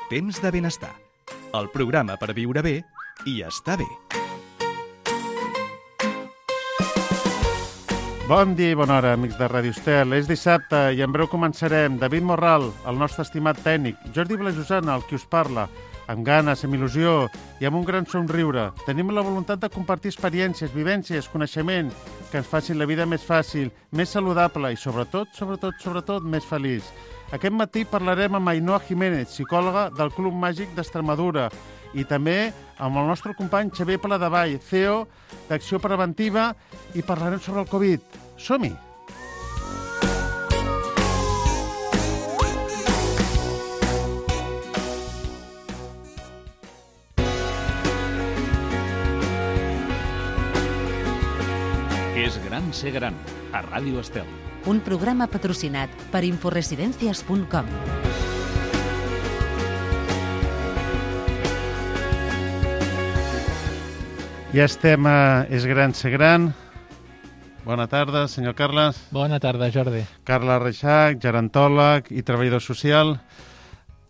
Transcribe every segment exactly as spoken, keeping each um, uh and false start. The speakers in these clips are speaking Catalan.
Temps de benestar. El programa per viure bé i estar bé. Bon dia i bona hora, amics de Ràdio Estel. És dissabte i en breu començarem. David Morral, el nostre estimat tècnic, Jordi Blajosana, el qui us parla, amb ganes, amb il·lusió i amb un gran somriure. Tenim la voluntat de compartir experiències, vivències, coneixement, que ens facin la vida més fàcil, més saludable i, sobretot, sobretot, sobretot, més feliç. Aquest matí parlarem amb Ainhoa Jiménez, psicòloga del Club Màgic d'Extremadura, i també amb el nostre company Xavier Paladevall, C E O d'Acció Preventiva, i parlarem sobre el Covid. Som-hi! És gran ser gran, a Ràdio Estel. Un programa patrocinat per inforesidencias punt com. Ja estem a És gran ser gran. Bona tarda, senyor Carles. Bona tarda, Jordi. Carles Reixac, gerontòleg i treballador social.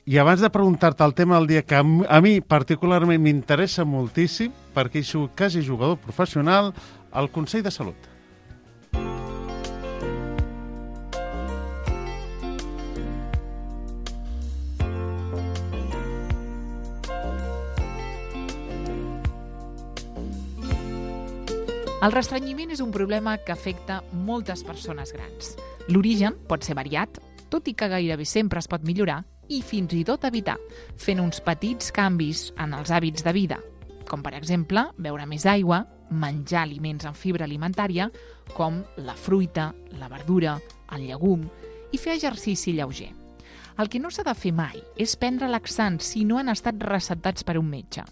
I abans de preguntar-te el tema del dia, que a mi particularment m'interessa moltíssim, perquè he sigut quasi jugador professional, el Consell de Salut. El restrenyiment és un problema que afecta moltes persones grans. L'origen pot ser variat, tot i que gairebé sempre es pot millorar i fins i tot evitar, fent uns petits canvis en els hàbits de vida, com per exemple beure més aigua, menjar aliments amb fibra alimentària, com la fruita, la verdura, el llegum, i fer exercici lleuger. El que no s'ha de fer mai és prendre laxants si no han estat receptats per un metge.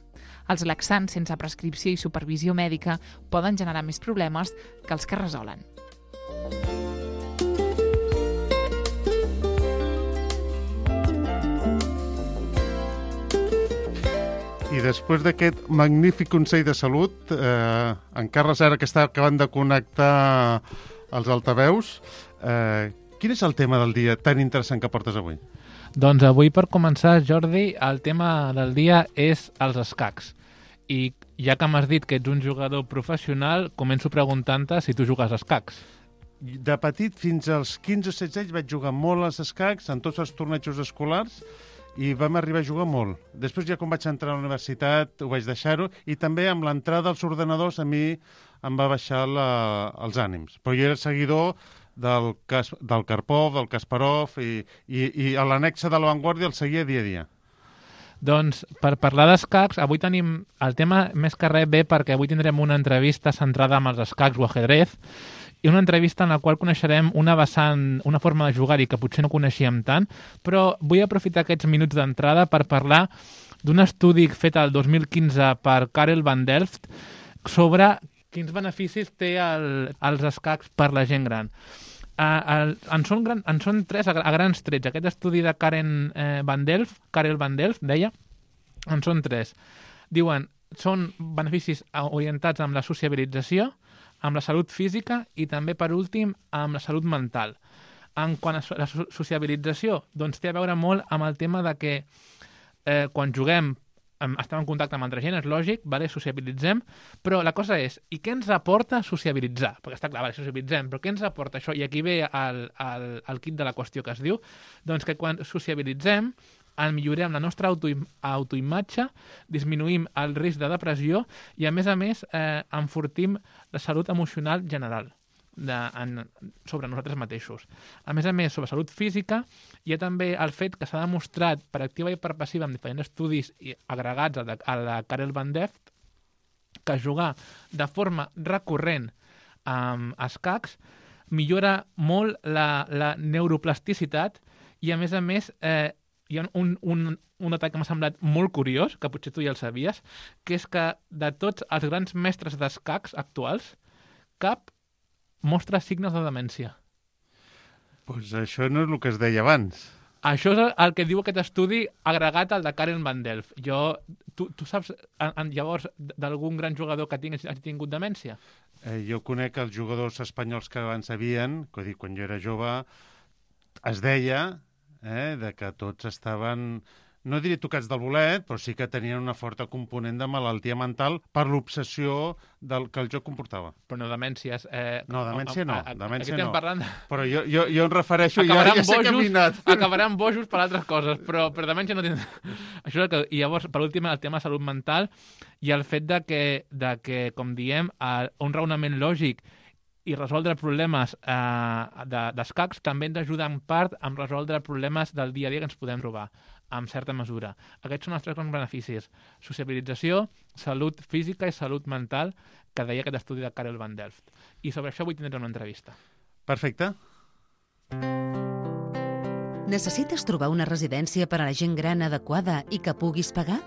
Els laxants sense prescripció i supervisió mèdica poden generar més problemes que els que resolen. I després d'aquest magnífic Consell de Salut, eh, en Carles ara que està acabant de connectar els altaveus, eh, quin és el tema del dia tan interessant que portes avui? Doncs avui, per començar, Jordi, el tema del dia és els escacs. I ja que m'has dit que ets un jugador professional, començo preguntant-te si tu jugues a escacs. De petit, fins als quinze o setze anys, vaig jugar molt als escacs, en tots els tornejos escolars, i vam arribar a jugar molt. Després, ja quan vaig entrar a la universitat, ho vaig deixar-ho, i també amb l'entrada als ordenadors a mi em va baixar la, els ànims. Però jo era seguidor del, Kas, del Karpov, del Kasparov, i, i, i a l'annexa de La Vanguardia el seguia dia a dia. Doncs, per parlar d'escacs, avui tenim el tema més que res bé perquè avui tindrem una entrevista centrada en els escacs o ajedrez i una entrevista en la qual coneixerem una vessant, una forma de jugar-hi que potser no coneixíem tant, però vull aprofitar aquests minuts d'entrada per parlar d'un estudi fet el dos mil quinze per Karel van Delft sobre quins beneficis té el, els escacs per la gent gran. Uh, el, en, són gran, en són tres a, a grans trets. Aquest estudi de Karen eh, van Delft, Karel van Delft, deia, en són tres. Diuen, són beneficis orientats amb la sociabilització, amb la salut física i també, per últim, amb la salut mental. En quant a la sociabilització, doncs té a veure molt amb el tema de que eh, quan juguem estem en contacte amb altra gent, és lògic, vale, sociabilitzem, però la cosa és, i què ens aporta sociabilitzar? Perquè està clar, vale, sociabilitzem, però què ens aporta això? I aquí ve el, el, el kit de la qüestió que es diu, doncs que quan sociabilitzem, en millorem la nostra auto, autoimatge, disminuïm el risc de depressió i, a més a més, eh, enfortim la salut emocional general de, en, sobre nosaltres mateixos. A més a més, sobre salut física, hi ha també el fet que s'ha demostrat per activa i per passiva en diferents estudis agregats a la, a la Karel van Delft que jugar de forma recurrent amb escacs millora molt la, la neuroplasticitat i, a més a més, eh, hi ha un, un, un detall que m'ha semblat molt curiós, que potser tu ja el sabies, que és que de tots els grans mestres d'escacs actuals, cap mostra signes de demència. Doncs pues això no és el que es deia abans. Això és el que diu aquest estudi agregat al de Karel van Delft. Jo, tu, tu saps, en, en, llavors, d'algun gran jugador que hagi tingut demència? Eh, jo conec els jugadors espanyols que abans havien, que dic, quan jo era jove, es deia eh, de que tots estaven no diré tocats del bolet, però sí que tenien una forta component de malaltia mental per l'obsessió del que el joc comportava. Però no demències. Eh, No, demència no, a- a- demència aquí estem no. parlant... Però jo, jo, jo em refereixo, ja, Acabaran ja sé que he bojos, minat. acabaran bojos per altres coses, però per demència no tindrà... Això és el que... I llavors, per últim, el tema de salut mental i el fet de que, de que com diem, eh, un raonament lògic i resoldre problemes eh, de, d'escacs també ens ajuda en part a resoldre problemes del dia a dia que ens podem trobar, en certa mesura. Aquests són els tres grans beneficis. Sociabilització, salut física i salut mental, que deia aquest estudi de Karel van Delft. I sobre això vull tindre una entrevista. Perfecte. Necessites trobar una residència per a la gent gran adequada i que puguis pagar?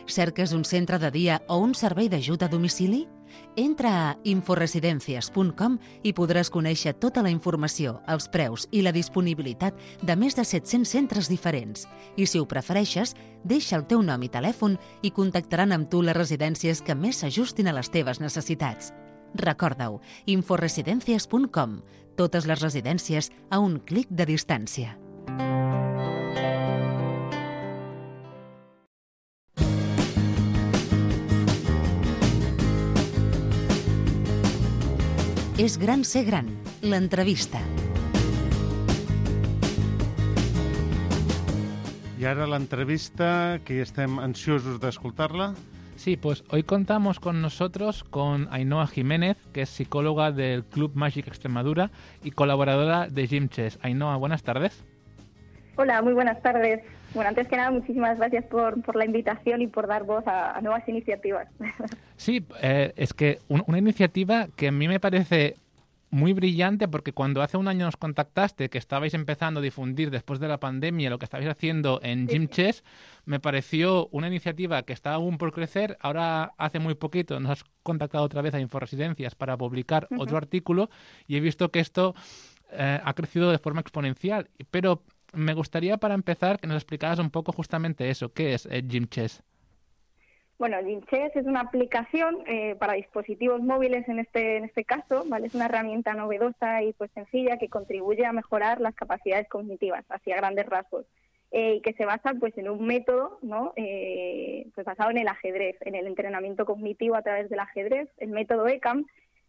Cerques un centre de dia o un servei d'ajut a domicili? Entra a inforesidencias punt com i podràs conèixer tota la informació, els preus i la disponibilitat de més de set-cents centres diferents. I si ho prefereixes, deixa el teu nom i telèfon i contactaran amb tu les residències que més s'ajustin a les teves necessitats. Recorda-ho, inforesidencias punt com. Totes les residències a un clic de distància. És gran ser gran, l'entrevista. I ara l'entrevista, que estem ansiosos d'escoltar-la. Sí, pues hoy contamos con nosotros con Ainhoa Jiménez, que es psicóloga del Club Magic Extremadura y colaboradora de Gym Chess. Ainhoa, buenas tardes. Hola, muy buenas tardes. Bueno, antes que nada, muchísimas gracias por, por la invitación y por dar voz a, a nuevas iniciativas. Sí, eh, es que un, una iniciativa que a mí me parece muy brillante, porque cuando hace un año nos contactaste, que estabais empezando a difundir después de la pandemia lo que estabais haciendo en Gym Chess, me pareció una iniciativa que está aún por crecer. Ahora, hace muy poquito, nos has contactado otra vez a Inforesidencias para publicar uh-huh. otro artículo y he visto que esto eh, ha crecido de forma exponencial. Pero me gustaría, para empezar, que nos explicaras un poco justamente eso. ¿Qué es eh, Gym Chess? Bueno, Gym Chess es una aplicación eh, para dispositivos móviles en este en este caso, ¿vale? Es una herramienta novedosa y pues sencilla que contribuye a mejorar las capacidades cognitivas, así a grandes rasgos, eh, y que se basa pues en un método, ¿no? Eh, pues basado en el ajedrez, en el entrenamiento cognitivo a través del ajedrez, el método E C A M,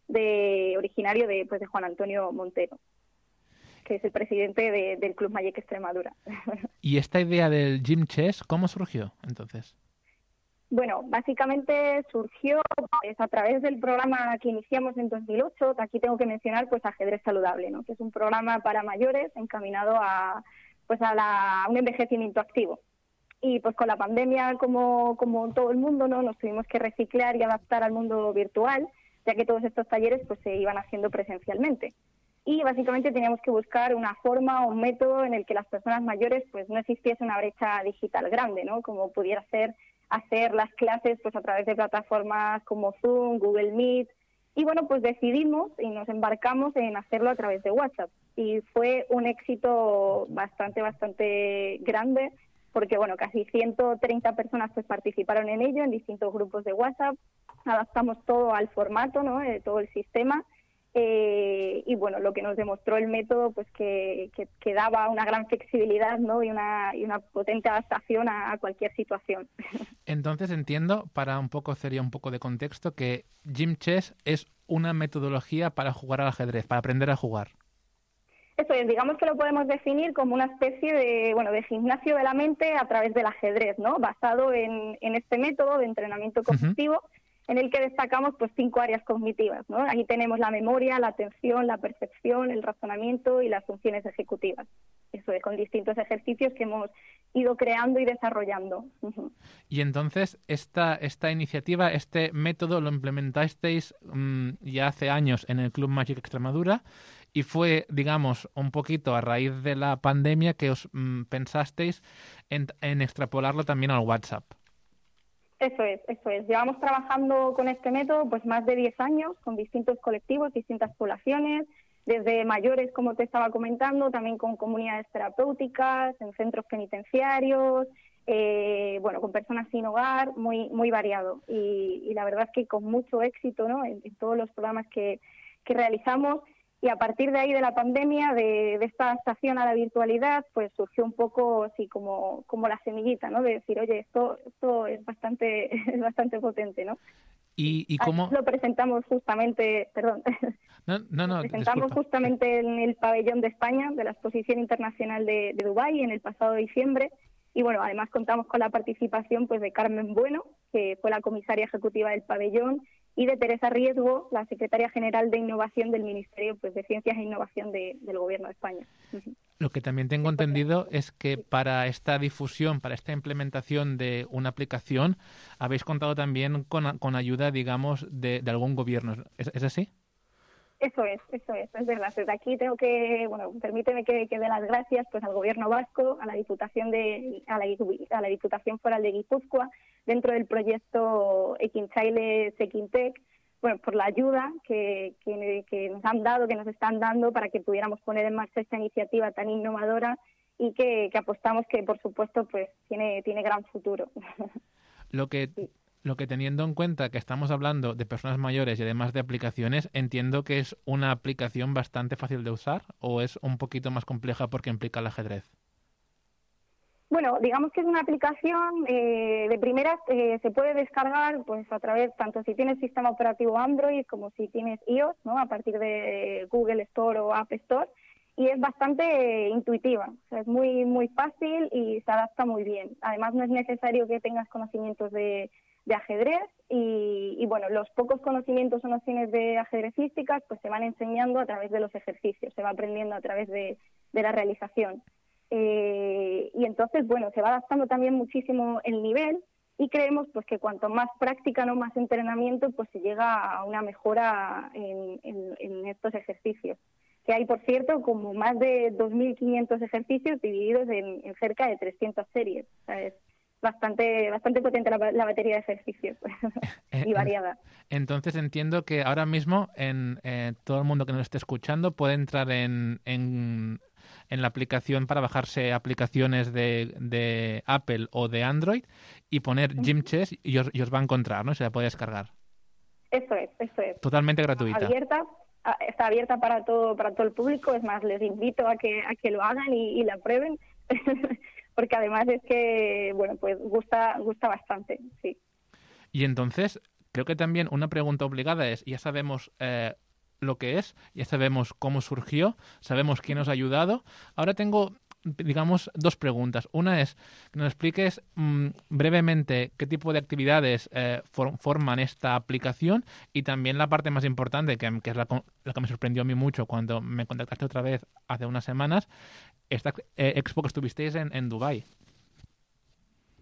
de originario de pues de Juan Antonio Montero, que es el presidente de, del Club Magic Extremadura. ¿Y esta idea del Gym Chess cómo surgió entonces? Bueno, básicamente surgió pues, a través del programa que iniciamos en dos mil ocho. Aquí tengo que mencionar pues Ajedrez Saludable, ¿no? Que es un programa para mayores encaminado a pues a, la, a un envejecimiento activo. Y pues con la pandemia, como, como todo el mundo, ¿no? Nos tuvimos que reciclar y adaptar al mundo virtual, ya que todos estos talleres pues se iban haciendo presencialmente. Y básicamente teníamos que buscar una forma o un método en el que las personas mayores pues no existiese una brecha digital grande, ¿no? Como pudiera ser hacer las clases pues a través de plataformas como Zoom, Google Meet. Y bueno, pues decidimos y nos embarcamos en hacerlo a través de WhatsApp. Y fue un éxito bastante, bastante grande, porque bueno, casi ciento treinta personas pues participaron en ello, en distintos grupos de WhatsApp. Adaptamos todo al formato, ¿no? Eh, todo el sistema. Eh, y bueno, lo que nos demostró el método, pues que, que, que daba una gran flexibilidad, ¿no? y, una, y una potente adaptación a, a cualquier situación. Entonces entiendo, para un poco sería un poco de contexto, que Gym Chess es una metodología para jugar al ajedrez, para aprender a jugar. Eso es, digamos que lo podemos definir como una especie de, bueno, de gimnasio de la mente a través del ajedrez, ¿no? Basado en, en este método de entrenamiento cognitivo. Uh-huh. En el que destacamos pues cinco áreas cognitivas, ¿no? Aquí tenemos la memoria, la atención, la percepción, el razonamiento y las funciones ejecutivas. Eso es, con distintos ejercicios que hemos ido creando y desarrollando. Uh-huh. Y entonces, esta, esta iniciativa, este método lo implementasteis mmm, ya hace años en el Club Magic Extremadura y fue, digamos, un poquito a raíz de la pandemia que os mmm, pensasteis en, en extrapolarlo también al WhatsApp. Eso es, eso es. Llevamos trabajando con este método pues más de diez años, con distintos colectivos, distintas poblaciones, desde mayores, como te estaba comentando, también con comunidades terapéuticas, en centros penitenciarios, eh, bueno, con personas sin hogar, muy muy variado. Y, y la verdad es que con mucho éxito, ¿no? En, en todos los programas que, que realizamos. Y a partir de ahí de la pandemia, de, de esta adaptación a la virtualidad, pues surgió un poco así como, como la semillita, ¿no? De decir, oye, esto, esto es bastante, es bastante potente, ¿no? ¿Y, y cómo...? Lo presentamos justamente, perdón, no, no, no, lo presentamos disculpa. justamente en el pabellón de España de la Exposición Internacional de, de Dubái en el pasado diciembre. Y bueno, además contamos con la participación pues de Carmen Bueno, que fue la comisaria ejecutiva del pabellón, y de Teresa Riesgo, la secretaria general de Innovación del Ministerio pues, de Ciencias e Innovación de, del Gobierno de España. Lo que también tengo entendido es que para esta difusión, para esta implementación de una aplicación, habéis contado también con, con ayuda, digamos, de, de algún gobierno. ¿Es, ¿Es así? Eso es, eso es, es verdad. Desde aquí tengo que, bueno, permíteme que, que dé las gracias pues al Gobierno vasco, a la Diputación de, a la, a la Diputación Foral de Guipúzcoa, dentro del proyecto Ekinchaile Sekintec, bueno, por la ayuda que, que, que nos han dado, que nos están dando para que pudiéramos poner en marcha esta iniciativa tan innovadora y que, que apostamos que, por supuesto, pues tiene, tiene gran futuro. Lo que... Sí. Lo que teniendo en cuenta que estamos hablando de personas mayores y además de aplicaciones, entiendo que es una aplicación bastante fácil de usar, ¿o es un poquito más compleja porque implica el ajedrez? Bueno, digamos que es una aplicación eh, de primeras, eh, se puede descargar pues a través, tanto si tienes sistema operativo Android como si tienes iOS, ¿no? A partir de Google Store o App Store, y es bastante intuitiva, o sea, es muy, muy fácil y se adapta muy bien. Además, no es necesario que tengas conocimientos de de ajedrez y, y, bueno, los pocos conocimientos o nociones de ajedrecísticas pues se van enseñando a través de los ejercicios, se va aprendiendo a través de, de la realización. Eh, y entonces, bueno, se va adaptando también muchísimo el nivel y creemos pues que cuanto más práctica, no más entrenamiento, pues se llega a una mejora en, en, en estos ejercicios. Que hay, por cierto, como más de dos mil quinientos ejercicios divididos en, en cerca de trescientas series. O sea, es bastante bastante potente la, la batería de ejercicios y variada. Entonces entiendo que ahora mismo en eh, todo el mundo que nos esté escuchando puede entrar en, en, en la aplicación para bajarse aplicaciones de, de Apple o de Android y poner Gym Chess y os, y os va a encontrar, ¿no? Se la puede descargar. Eso es, eso es. Totalmente gratuita. Abierta, está abierta para todo para todo el público. Es más, les invito a que a que lo hagan y, y la prueben. Porque además es que, bueno, pues gusta gusta bastante, sí. Y entonces, creo que también una pregunta obligada es, ya sabemos eh, lo que es, ya sabemos cómo surgió, sabemos quién nos ha ayudado. Ahora tengo, digamos, dos preguntas. Una es que nos expliques mmm, brevemente qué tipo de actividades eh, for, forman esta aplicación y también la parte más importante, que, que es la, la que me sorprendió a mí mucho cuando me contactaste otra vez hace unas semanas, esta eh, expo que estuvisteis en, en Dubái.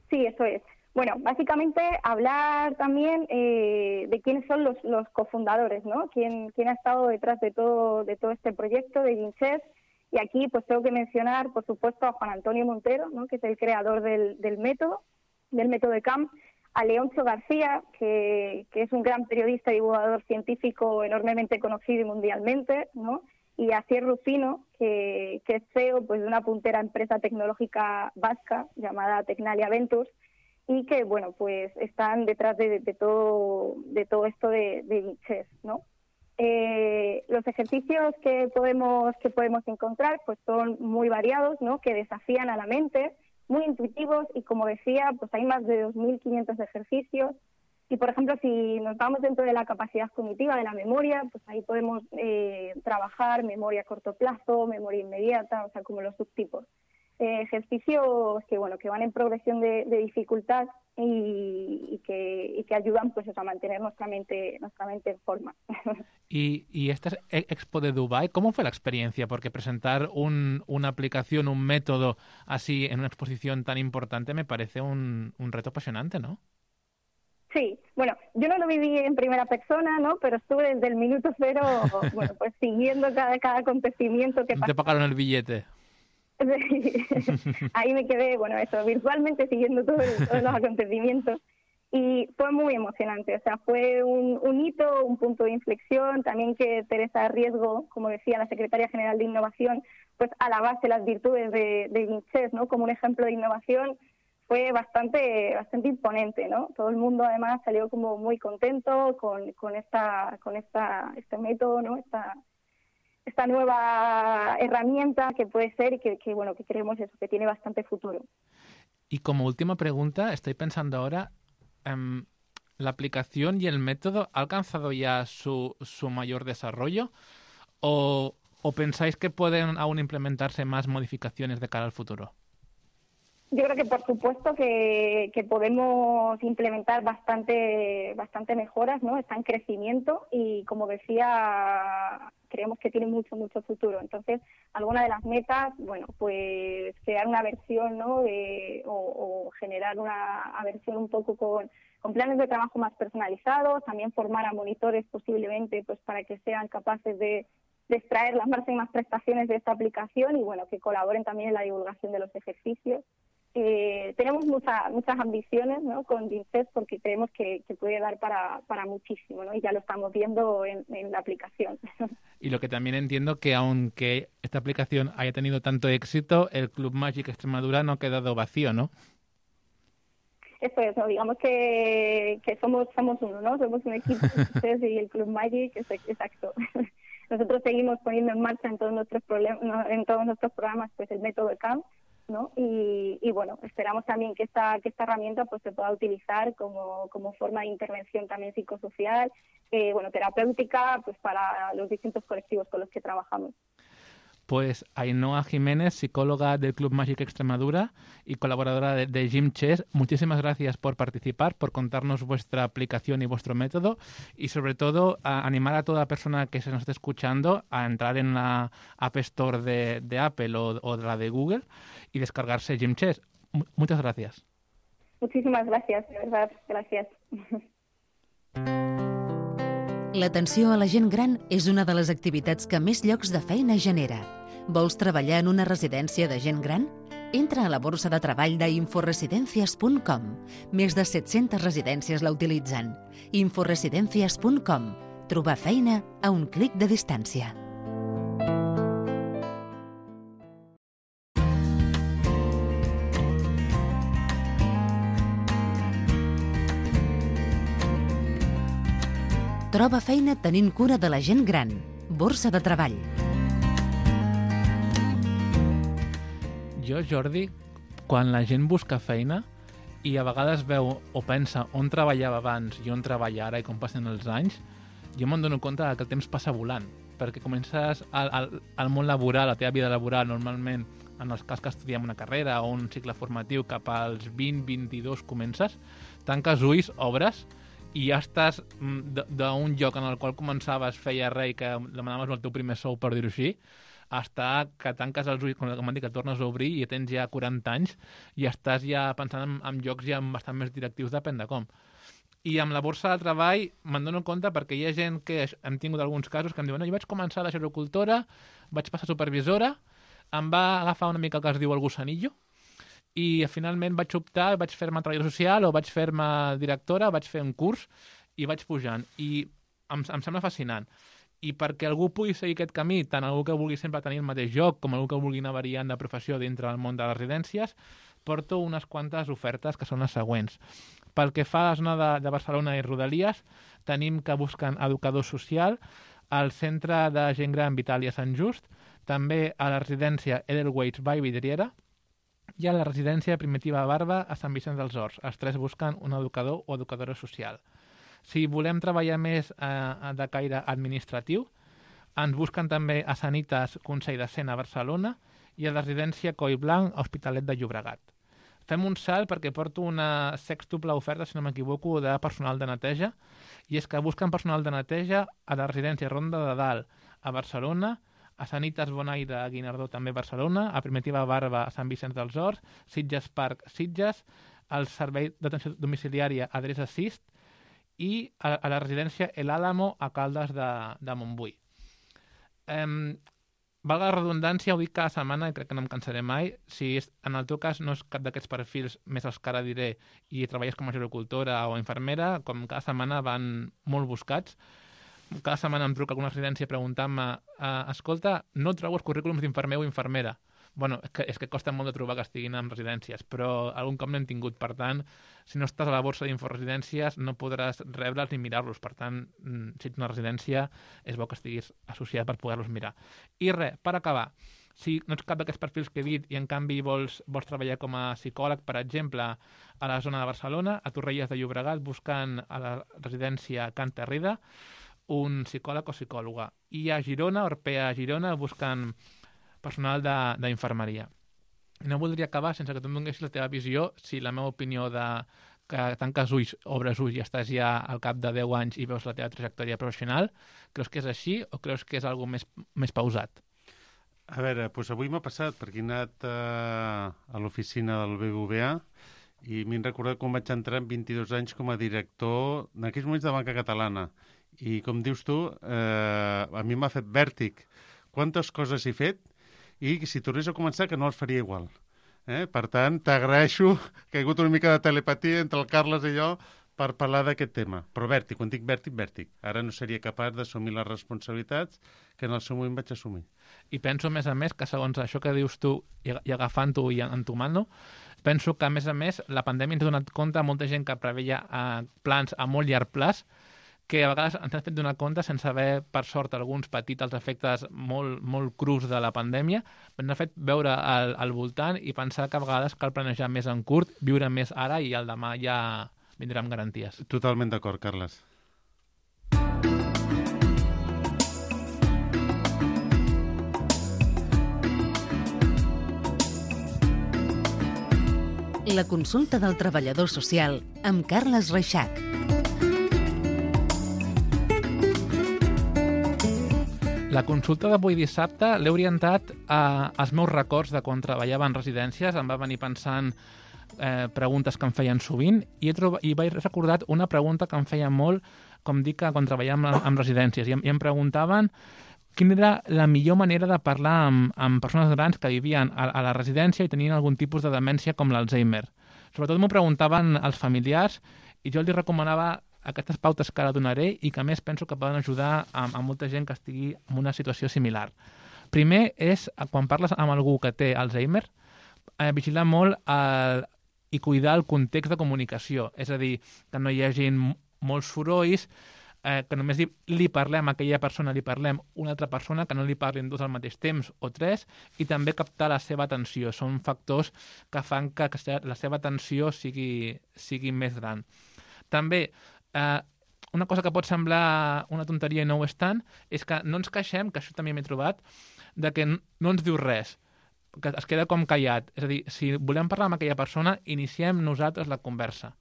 Sí, eso es. Bueno, básicamente hablar también eh, de quiénes son los, los cofundadores, ¿no? Quién, quién ha estado detrás de todo de todo este proyecto de Gym Chess. Y aquí pues tengo que mencionar, por supuesto, a Juan Antonio Montero, ¿no? Que es el creador del, del método, del método de Camp, a Leoncio García, que, que es un gran periodista y divulgador científico enormemente conocido y mundialmente, ¿no? Y a Asier Rufino, que, que es C E O pues, de una puntera empresa tecnológica vasca llamada Tecnalia Ventures, y que, bueno, pues están detrás de, de todo de todo esto de, de Gym Chess, ¿no? Eh, los ejercicios que podemos que podemos encontrar pues son muy variados, ¿no? Que desafían a la mente, muy intuitivos y, como decía, pues hay más de dos mil quinientos ejercicios. Y, por ejemplo, si nos vamos dentro de la capacidad cognitiva de la memoria, pues ahí podemos eh, trabajar memoria a corto plazo, memoria inmediata, o sea, como los subtipos. Eh, ejercicios que, bueno, que van en progresión de, de dificultad y, y, que, y que ayudan pues eso, a mantener nuestra mente, nuestra mente en forma. Y, y esta expo de Dubái, ¿cómo fue la experiencia? Porque presentar un, una aplicación, un método así en una exposición tan importante me parece un, un reto apasionante, ¿no? Sí, bueno, yo no lo viví en primera persona, ¿no? Pero estuve desde el minuto cero, bueno, pues siguiendo cada, cada acontecimiento que pasó. ¿Te pagaron el billete? Sí. Ahí me quedé, bueno, eso, virtualmente siguiendo todo el, todos los acontecimientos. Y fue muy emocionante, o sea, fue un, un hito, un punto de inflexión, también que Teresa Riesgo, como decía la Secretaria General de Innovación, pues alabase las virtudes de, de Gym Chess, ¿no? Como un ejemplo de innovación. Fue bastante bastante imponente, ¿no? Todo el mundo además salió como muy contento con, con esta con esta este método, ¿no? Esta esta esta nueva herramienta que puede ser y que, que, bueno, que creemos eso, que tiene bastante futuro. Y como última pregunta, estoy pensando ahora, um, ¿la aplicación y el método ha alcanzado ya su, su mayor desarrollo? ¿O, ¿O pensáis que pueden aún implementarse más modificaciones de cara al futuro? Yo creo que por supuesto que, que podemos implementar bastante, bastante mejoras, ¿no? Está en crecimiento y, como decía, creemos que tiene mucho, mucho futuro. Entonces, alguna de las metas, bueno, pues crear una versión, ¿no? De, o, o generar una versión un poco con, con planes de trabajo más personalizados, también formar a monitores posiblemente, pues para que sean capaces de, de extraer las máximas prestaciones de esta aplicación y, bueno, que colaboren también en la divulgación de los ejercicios. Eh, tenemos mucha, muchas ambiciones, ¿no? Con Gymchess, porque creemos que, que puede dar para, para muchísimo, ¿no? Y ya lo estamos viendo en, en la aplicación. Y lo que también entiendo que aunque esta aplicación haya tenido tanto éxito, el Club Magic Extremadura no ha quedado vacío, ¿no? Eso es, ¿no? Digamos que, que somos somos uno, ¿no? Somos un equipo y el Club Magic, es exacto. Nosotros seguimos poniendo en marcha en todos nuestros problemas, en todos nuestros programas, pues el método C A M, ¿no? Y, y bueno, esperamos también que esta que esta herramienta pues se pueda utilizar como, como forma de intervención también psicosocial, eh, bueno, terapéutica, pues para los distintos colectivos con los que trabajamos. Pues Ainhoa Jiménez, psicóloga del Club Magic Extremadura y colaboradora de, de Gymchess, muchísimas gracias por participar, por contarnos vuestra aplicación y vuestro método y sobre todo a animar a toda persona que se nos esté escuchando a entrar en la App Store de, de Apple o, o de la de Google y descargarse Gymchess. M- muchas gracias. Muchísimas gracias, de verdad, gracias. L'atenció a la gent gran és una de les activitats que més llocs de feina genera. Vols treballar en una residència de gent gran? Entra a la borsa de treball d'inforesidencias punt com. Més de set-centes residències la utilitzen. inforesidencias punt com. Trobar feina a un clic de distància. Troba feina tenint cura de la gent gran. Borsa de treball. Jo, Jordi, quan la gent busca feina i a vegades veu o pensa on treballava abans i on treballa ara i com passen els anys, jo me'n dono compte que el temps passa volant, perquè comences al, al, al món laboral, la teva vida laboral, normalment, en els cas que estudiem una carrera o un cicle formatiu, cap als vint vint-i-dos comences, tanques ulls, obres, i ja estàs d'un lloc en el qual començaves, feia res i que demanaves el teu primer sou, per dir-ho així, hasta que tanques els ulls, com m'han dit, que tornes a obrir i tens ja quaranta anys i estàs ja pensant en, en llocs ja bastant més directius, depèn de com. I amb la borsa de treball me'n dono compte perquè hi ha gent que hem tingut alguns casos que em diuen no, jo vaig començar a la xerocultora, vaig passar a supervisora, em va agafar una mica el que es diu el gusanillo, i finalment vaig optar, vaig fer-me treballador social o vaig fer-me directora, vaig fer un curs i vaig pujant. I em, em sembla fascinant. I perquè algú pugui seguir aquest camí, tant algú que vulgui sempre tenir el mateix lloc com algú que vulgui anar variant de professió dintre del món de les residències, porto unes quantes ofertes que són les següents. Pel que fa a la zona de, de Barcelona i Rodalies, tenim que busquen educador social al Centre de Gent Gran Vitàlia Sant Just, també a la residència Edelweiss Vall Vidriera, i a la residència Primitiva Barba a Sant Vicenç dels Horts. Els tres busquen un educador o educadora social. Si volem treballar més eh, de caire administratiu, ens busquen també a Sanitas Consell de Cent a Barcelona i a la residència Coll Blanc a Hospitalet de Llobregat. Fem un salt perquè porto una sextuple oferta, si no m'equivoco, de personal de neteja, i és que busquen personal de neteja a la residència Ronda de Dalt a Barcelona, a Sanitas Bonaire a Guinardó, també a Barcelona, a Primitiva Barba a Sant Vicenç dels Horts, Sitges Park, Sitges, al Servei d'Atenció Domiciliària Adreça Sist i a, a la residència El Álamo a Caldes de, de Montbui. Um, valga la redundància, ho dic cada setmana i crec que no em cansaré mai. Si és, en el teu cas no és cap d'aquests perfils, més els que ara diré, i treballes com a gerocultora o infermera, com cada setmana van molt buscats. Cada setmana em truca alguna residència preguntant-me eh, escolta, no trobo els currículums d'infermer o infermera. Bueno, és que, és que costa molt de trobar que estiguin en residències, però algun cop n'hem tingut. Per tant, si no estàs a la borsa d'inforesidències, no podràs rebre'ls ni mirar-los. Per tant, si ets una residència, és bo que estiguis associat per poder-los mirar. I res, per acabar, si no ets cap d'aquests perfils que he dit i en canvi vols, vols treballar com a psicòleg, per exemple, a la zona de Barcelona, a Torrelles de Llobregat, buscant a la residència Can Terrida un psicòleg o psicòloga. I a Girona, Orpea a Girona, buscant personal d'infermeria. No voldria acabar sense que tu em donessis la teva visió, si la meva opinió de que tanques ulls, obres ulls i estàs ja al cap de deu anys i veus la teva trajectòria professional, creus que és així o creus que és algo més, més pausat? A veure, doncs avui m'ha passat perquè he anat eh, a l'oficina del B B V A i m'he recordat quan vaig entrar amb vint-i-dos anys com a director en aquells moments de Banca Catalana. I com dius tu, eh, a mi m'ha fet vèrtic quantes coses he fet i si tornés a començar que no els faria igual. Eh? Per tant, t'agraeixo que hi ha hagut una mica de telepatia entre el Carles i jo per parlar d'aquest tema. Però vèrtic, quan dic vèrtic, vèrtic. Ara no seria capaç d'assumir les responsabilitats que en el seu moment vaig assumir. I penso, a més a més, que segons això que dius tu i agafant-ho i entomant-ho, penso que, a més a més, la pandèmia ens ha donat compte a molta gent que preveia eh, plans a molt llarg plaç, que a vegades ens hem fet donar compte sense haver, per sort, alguns petits els efectes molt, molt crus de la pandèmia, ens ha fet veure al, al voltant i pensar que a vegades cal planejar més en curt, viure més ara i el demà ja vindrà amb garanties. Totalment d'acord, Carles. La consulta del treballador social amb Carles Reixac. La consulta d'avui dissabte l'he orientat a, als meus records de quan treballava en residències. Em va venir pensant eh, preguntes que em feien sovint i, he trobat, i vaig recordar una pregunta que em feia molt, com dic, quan treballàvem en, en residències. I em, i em preguntaven quina era la millor manera de parlar amb, amb persones grans que vivien a, a la residència i tenien algun tipus de demència com l'Alzheimer. Sobretot m'ho preguntaven els familiars i jo els recomanava aquestes pautes que ara donaré i que a més penso que poden ajudar a, a molta gent que estigui en una situació similar. Primer és, quan parles amb algú que té Alzheimer, eh, vigilar molt el, i cuidar el context de comunicació. És a dir, que no hi hagi molts sorolls, eh, que només li, li parlem a aquella persona, li parlem una altra persona, que no li parlin dos al mateix temps o tres, i també captar la seva atenció. Són factors que fan que la seva atenció sigui, sigui més gran. També, Uh, una cosa que pot semblar una tonteria i no ho és tant, és que no ens queixem, que això també m'he trobat, de que no ens diu res, que es queda com callat. És a dir, si volem parlar amb aquella persona, iniciem nosaltres la conversa.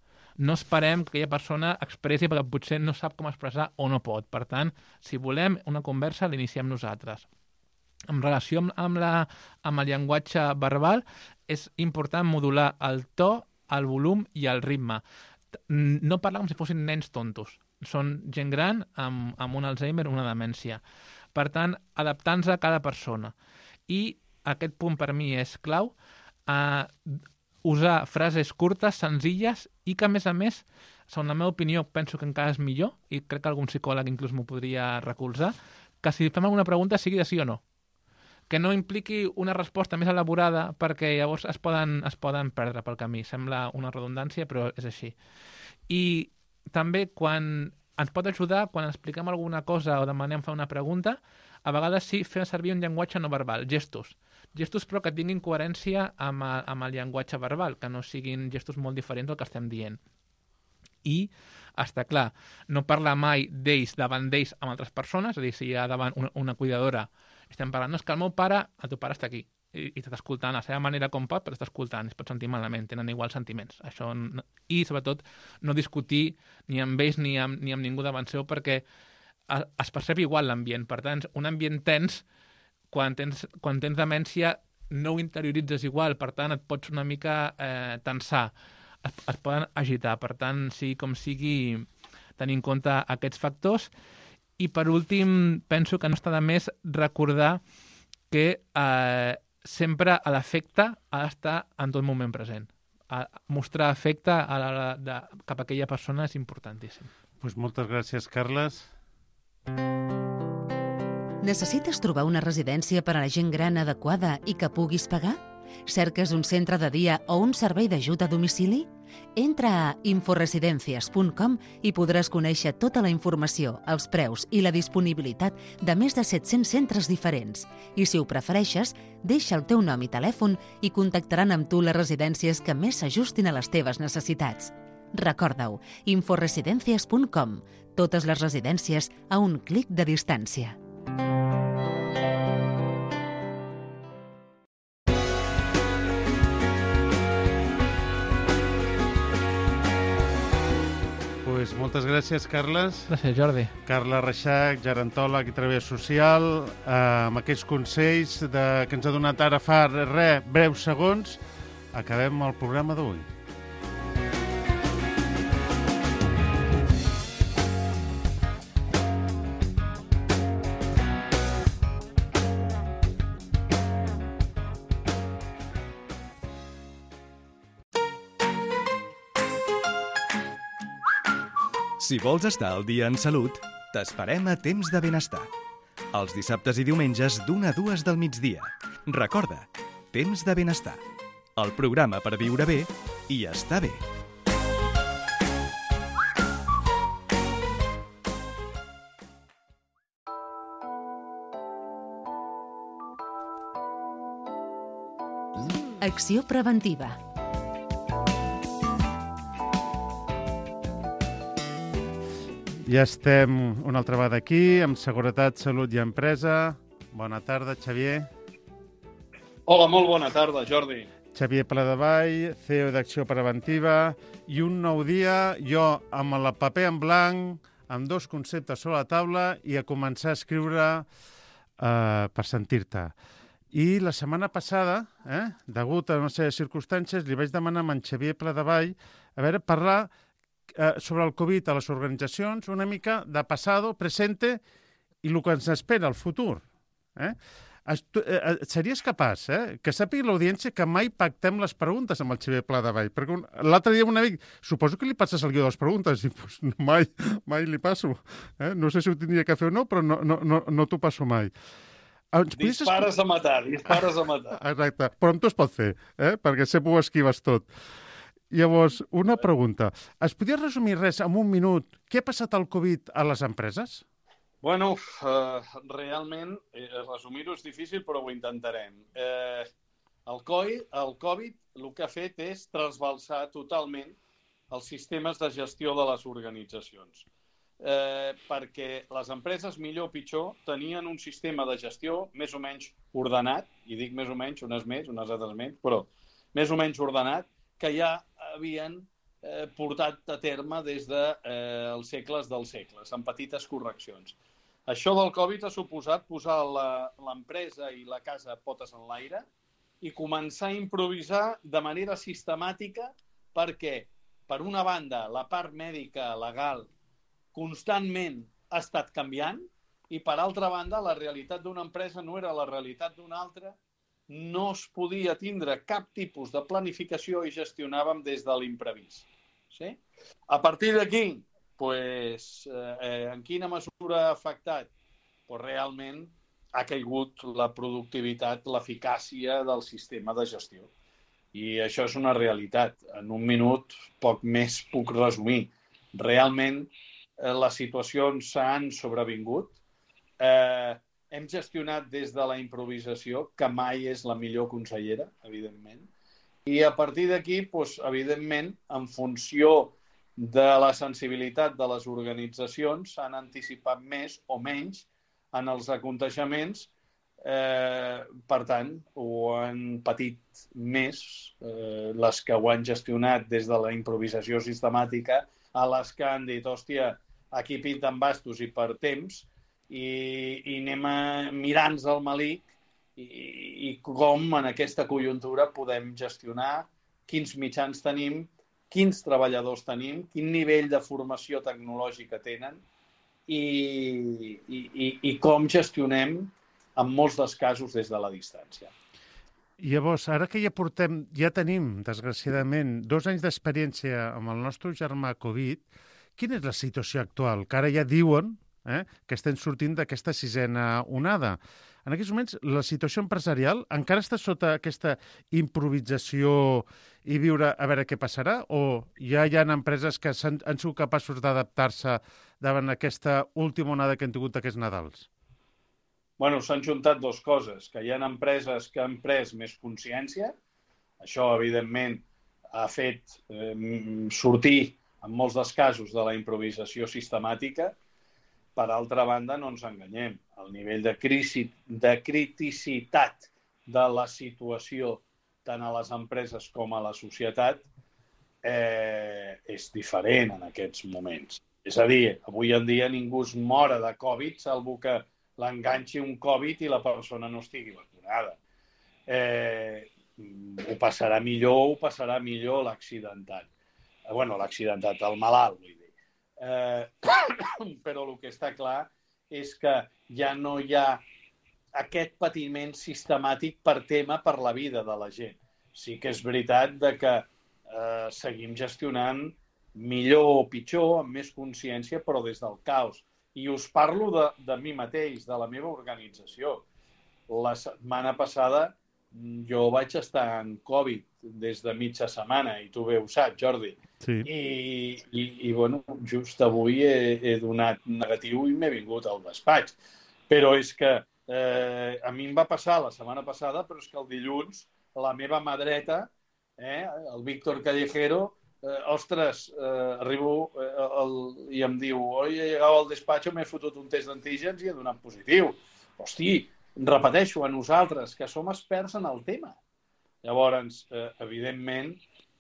No esperem que aquella persona expressi perquè potser no sap com expressar o no pot. Per tant, si volem una conversa, l'iniciem nosaltres. En relació amb, amb, la, amb el llenguatge verbal, és important modular el to, el volum i el ritme. No parlar com si fossin nens tontos. Són gent gran amb, amb un Alzheimer o una demència. Per tant, adaptant-nos a cada persona. I aquest punt per mi és clau, eh, usar frases curtes, senzilles i que, a més a més, segons la meva opinió, penso que encara és millor, i crec que algun psicòleg inclús m'ho podria recolzar, que si fem alguna pregunta sigui de sí o no. Que no impliqui una resposta més elaborada perquè llavors es poden, es poden perdre pel camí. Sembla una redundància, però és així. I també quan ens pot ajudar, quan expliquem alguna cosa o demanem fer una pregunta, a vegades sí fer servir un llenguatge no verbal, gestos. Gestos però que tinguin coherència amb, a, amb el llenguatge verbal, que no siguin gestos molt diferents del que estem dient. I, està clar, no parlar mai d'ells davant d'ells amb altres persones, és a dir, si hi ha davant una, una cuidadora, estem parlant, no, és que el meu pare, el teu pare està aquí, i, i t'està escoltant a la seva manera com pot, però està escoltant, es pot sentir malament, tenen iguals sentiments. Això no, i, sobretot, no discutir ni amb ells ni amb, ni amb ningú davant seu, perquè es percep igual l'ambient. Per tant, un ambient tens, quan tens, quan tens demència, no ho interioritzes igual, per tant, et pots una mica eh, tensar, es, es poden agitar. Per tant, sí, com sigui, tenir en compte aquests factors. I, per últim, penso que no està de més recordar que eh, sempre l'afecte ha d'estar en tot moment present. A mostrar afecte a la, de, cap a aquella persona és importantíssim. Pues moltes gràcies, Carles. Necessites trobar una residència per a la gent gran adequada i que puguis pagar? Cerques un centre de dia o un servei d'ajut a domicili? Entra a inforesidencias punt com i podràs conèixer tota la informació, els preus i la disponibilitat de més de set-cents centres diferents. I si ho prefereixes, deixa el teu nom i telèfon i contactaran amb tu les residències que més s'ajustin a les teves necessitats. Recorda-ho, inforesidencias punt com. Totes les residències a un clic de distància. Pues moltes gràcies, Carles. Gràcies, Jordi. Carles Reixac, gerontòleg i treballador social, eh, amb aquests consells de, que ens ha donat ara fa re, breus segons, acabem el programa d'avui. Si vols estar al dia en salut, t'esperem a Temps de Benestar. Els dissabtes i diumenges d'una a dues del migdia. Recorda, Temps de Benestar. El programa per viure bé i estar bé. Acció preventiva. Ja estem una altra vegada aquí, amb Seguretat, Salut i Empresa. Bona tarda, Xavier. Hola, molt bona tarda, Jordi. Xavier Pladevall, C E O d'Acció Preventiva, i un nou dia, jo amb el paper en blanc, amb dos conceptes sobre la taula i a començar a escriure eh, per sentir-te. I la setmana passada, eh, degut a una sèrie de circumstàncies, li vaig demanar a en Xavier Pladevall a veure, parlar eh, sobre el Covid a les organitzacions, una mica de passado, presente i el que ens espera al futur. Eh? Tu, eh, series capaç, eh, que sàpiga l'audiència que mai pactem les preguntes amb el Xavier Pladevall, perquè l'altre dia un amic, suposo que li passes el guió de les preguntes, i pues, mai, mai li passo. Eh? No sé si ho tindria que fer o no, però no, no, no, no t'ho passo mai. Dispares a matar, dispares a matar. Exacte, però amb tu es pot fer, eh? Perquè sempre ho esquives tot. Llavors, una pregunta. Es podria resumir res en un minut? Què ha passat al Covid a les empreses? Bueno, eh, realment, eh, resumir-ho és difícil, però ho intentarem. Eh, el, coi, el Covid el que ha fet és trasbalsar totalment els sistemes de gestió de les organitzacions. Eh, perquè les empreses, millor o pitjor, tenien un sistema de gestió més o menys ordenat, i dic més o menys, unes més, unes altres menys, però més o menys ordenat, que ja havien eh, portat a terme des dels de, eh, segles dels segles, amb petites correccions. Això del Covid ha suposat posar l'empresa i la casa potes en l'aire i començar a improvisar de manera sistemàtica perquè, per una banda, la part mèdica legal constantment ha estat canviant i, per altra banda, la realitat d'una empresa no era la realitat d'una altra, no es podia tindre cap tipus de planificació i gestionàvem des de l'imprevist. Sí? A partir d'aquí, pues, eh, en quina mesura ha afectat? Pues, realment ha caigut la productivitat, l'eficàcia del sistema de gestió. I això és una realitat. En un minut poc més puc resumir. Realment eh, les situacions s'han sobrevingut. Eh, hem gestionat des de la improvisació, que mai és la millor consellera, evidentment. I a partir d'aquí, doncs, evidentment, en funció de la sensibilitat de les organitzacions, s'han anticipat més o menys en els aconteixements. Eh, per tant, ho han patit més eh, les que ho han gestionat des de la improvisació sistemàtica a les que han dit, hòstia, aquí pinten bastos i per temps, i, i anem a mirar-nos el malic i, i com en aquesta conjuntura podem gestionar, quins mitjans tenim, quins treballadors tenim, quin nivell de formació tecnològica tenen i, i, i, i com gestionem en molts dels casos des de la distància. Llavors, ara que ja portem, ja tenim, desgraciadament, dos anys d'experiència amb el nostre germà Covid, quina és la situació actual? Que ara ja diuen eh, que estem sortint d'aquesta sisena onada. En aquests moments, la situació empresarial encara està sota aquesta improvisació i viure a veure què passarà, o ja hi ha empreses que han, han sigut capaços d'adaptar-se davant aquesta última onada que han tingut aquests Nadals? Bueno, s'han juntat dues coses, que hi ha empreses que han pres més consciència. Això, evidentment, ha fet eh, sortir, en molts dels casos, de la improvisació sistemàtica. Per altra banda, no ens enganyem. El nivell de, crisi, de criticitat de la situació, tant a les empreses com a la societat, eh, és diferent en aquests moments. És a dir, avui en dia ningú es mora de Covid, salvo que l'enganxi un Covid i la persona no estigui vacunada. Eh, ho passarà millor o ho passarà millor l'accidentat. Eh, bueno, l'accidentat, el malalt, vull dir. Eh, però el que està clar és que ja no hi ha aquest patiment sistemàtic per tema per la vida de la gent. Sí que és veritat de que eh, seguim gestionant millor o pitjor, amb més consciència, però des del caos. I us parlo de, de mi mateix, de la meva organització. La setmana passada jo vaig estar en Covid des de mitja setmana, i tu bé ho saps, Jordi. Sí. I, i, i bueno, just avui he, he donat negatiu i m'he vingut al despatx. Però és que eh, a mi em va passar la setmana passada, però és que el dilluns la meva mà dreta, eh, el Víctor Callejero, Eh, ostres, eh, arribo eh, el, i em diu oi, he llegat al despatx, m'he fotut un test d'antígens i he donat positiu. Hosti, repeteixo, a nosaltres, que som experts en el tema. Llavors, eh, evidentment,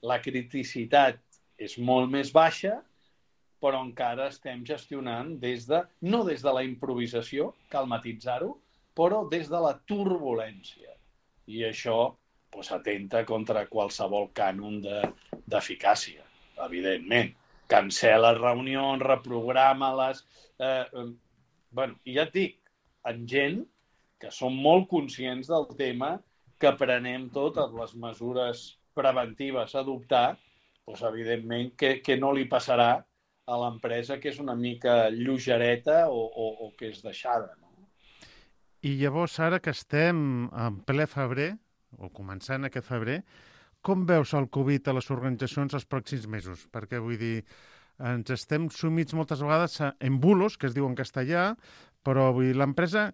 la criticitat és molt més baixa, però encara estem gestionant des de, no des de la improvisació, cal matitzar-ho, però des de la turbulència. I això pues, atenta contra qualsevol cànon d'eficàcia, evidentment. Cancela reunions, reprograma-les... Eh, eh, bueno, i ja et dic, en gent que som molt conscients del tema, que prenem totes les mesures preventives a adoptar, pues, evidentment que, que no li passarà a l'empresa que és una mica lleugereta o, o, o que és deixada. No? I llavors, ara que estem en ple febrer, o començant aquest febrer, com veus el Covid a les organitzacions els pròxims mesos? Perquè, vull dir, ens estem sumits moltes vegades en bulos, que es diu en castellà, però vull dir, l'empresa,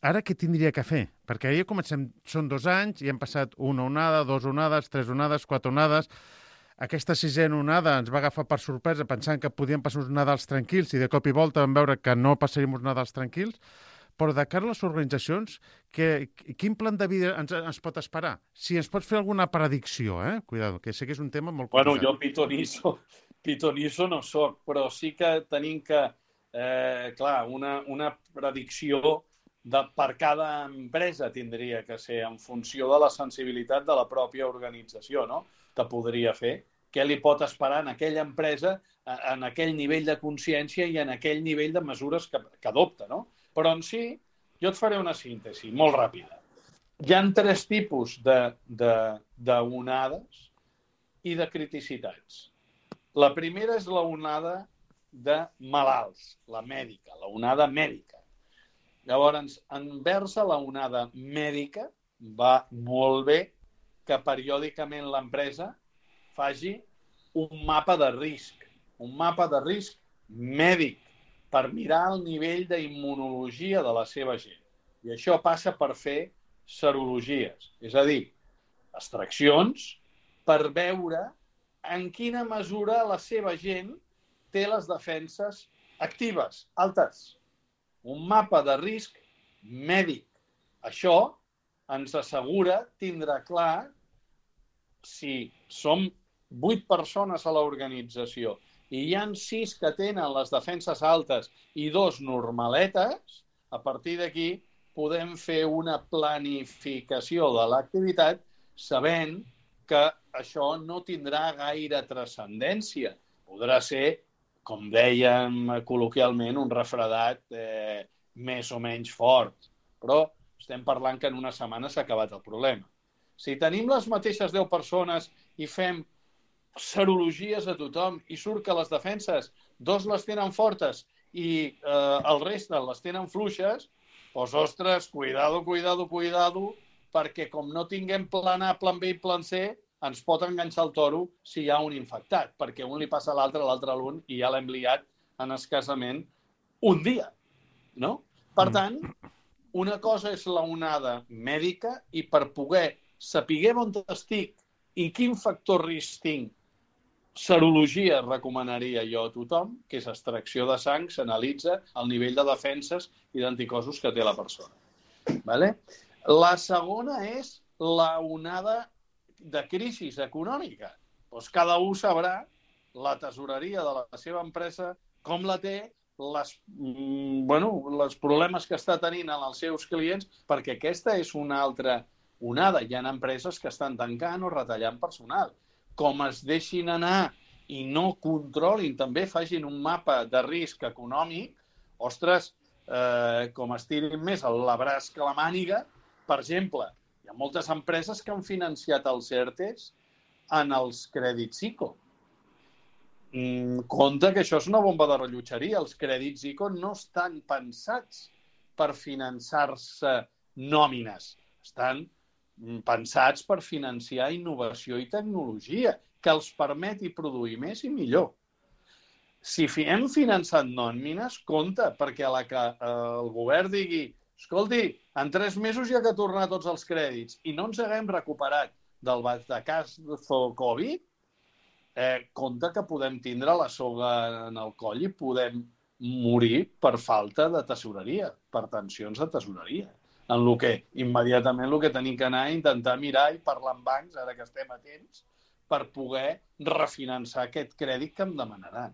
ara què tindria que fer? Perquè ja comencem, són dos anys, i hem passat una onada, dos onades, tres onades, quatre onades. Aquesta sisena onada ens va agafar per sorpresa pensant que podien passar uns Nadals tranquils i de cop i volta vam veure que no passaríem uns Nadals tranquils. Però de cara a les organitzacions, que, quin plan de vida ens, ens pot esperar? Si ens pots fer alguna predicció, eh? Cuidado, que sé que és un tema molt complicat. Bueno, jo pitonisso, pitonisso no soc, però sí que tenim que, eh, clar, una, una predicció de, per cada empresa tindria que ser en funció de la sensibilitat de la pròpia organització, no? Que podria fer. Què li pot esperar en aquella empresa, en aquell nivell de consciència i en aquell nivell de mesures que, que adopta, no? Però en si, jo et faré una síntesi molt ràpida. Hi ha tres tipus d'onades i de criticitats. La primera és la onada de malalts, la mèdica, la onada mèdica. Llavors, envers a la onada mèdica, va molt bé que periòdicament l'empresa faci un mapa de risc, un mapa de risc mèdic, per mirar el nivell d'immunologia de la seva gent. I això passa per fer serologies, és a dir, extraccions per veure en quina mesura la seva gent té les defenses actives, altes. Un mapa de risc mèdic. Això ens assegura tindrà clar si som vuit persones a l'organització i hi ha sis que tenen les defenses altes i dos normaletes, a partir d'aquí podem fer una planificació de l'activitat sabent que això no tindrà gaire transcendència. Podrà ser, com dèiem col·loquialment, un refredat eh, més o menys fort. Però estem parlant que en una setmana s'ha acabat el problema. Si tenim les mateixes deu persones i fem serologies a tothom i surt que les defenses, dos les tenen fortes i eh, el reste les tenen fluixes, doncs, ostres, cuidado, cuidado, cuidado, perquè com no tinguem plan A, plan B i plan C, ens pot enganxar el toro si hi ha un infectat, perquè un li passa a l'altre, l'altre a l'un, i ja l'hem liat en escassament un dia, no? Per tant, una cosa és la onada mèdica i per poder saber on estic i quin factor risc tinc, serologia recomanaria jo a tothom, que és extracció de sang, s'analitza el nivell de defenses i d'anticossos que té la persona. Vale? La segona és la onada de crisi econòmica. Doncs cada un sabrà la tesoreria de la seva empresa, com la té, les, bueno, els problemes que està tenint en els seus clients, perquè aquesta és una altra onada. Hi ha empreses que estan tancant o retallant personal. Com es deixin anar i no controlin, també facin un mapa de risc econòmic, ostres, eh, com estirin més el braç que la màniga, per exemple, hi ha moltes empreses que han financiat els ERTEs en els crèdits ICO. Mm, compte que això és una bomba de rellotgeria. Els crèdits ICO no estan pensats per finançar-se nòmines. Estan pensats per financiar innovació i tecnologia, que els permeti produir més i millor. Si hem finançat nòmines, compte, perquè a la que el govern digui escolti, en tres mesos ja que tornar tots els crèdits i no ens haguem recuperat del batacazo Covid, eh, compte que podem tindre la soga en el coll i podem morir per falta de tesoreria, per tensions de tesoreria. En el que immediatament el que tenim que anar a intentar mirar i parlar amb bancs, ara que estem a temps, per poder refinançar aquest crèdit que em demanaran.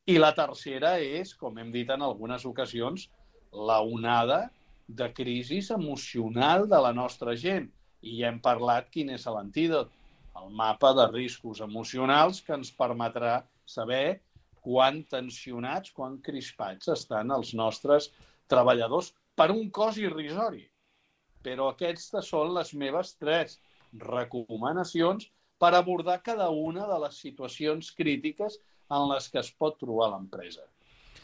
I la tercera és, com hem dit en algunes ocasions, la onada de crisi emocional de la nostra gent. I ja hem parlat quin és l'antídot, el mapa de riscos emocionals que ens permetrà saber quan tensionats, quan crispats estan els nostres treballadors per un cost irrisori. Però aquestes són les meves tres recomanacions per abordar cada una de les situacions crítiques en les que es pot trobar l'empresa.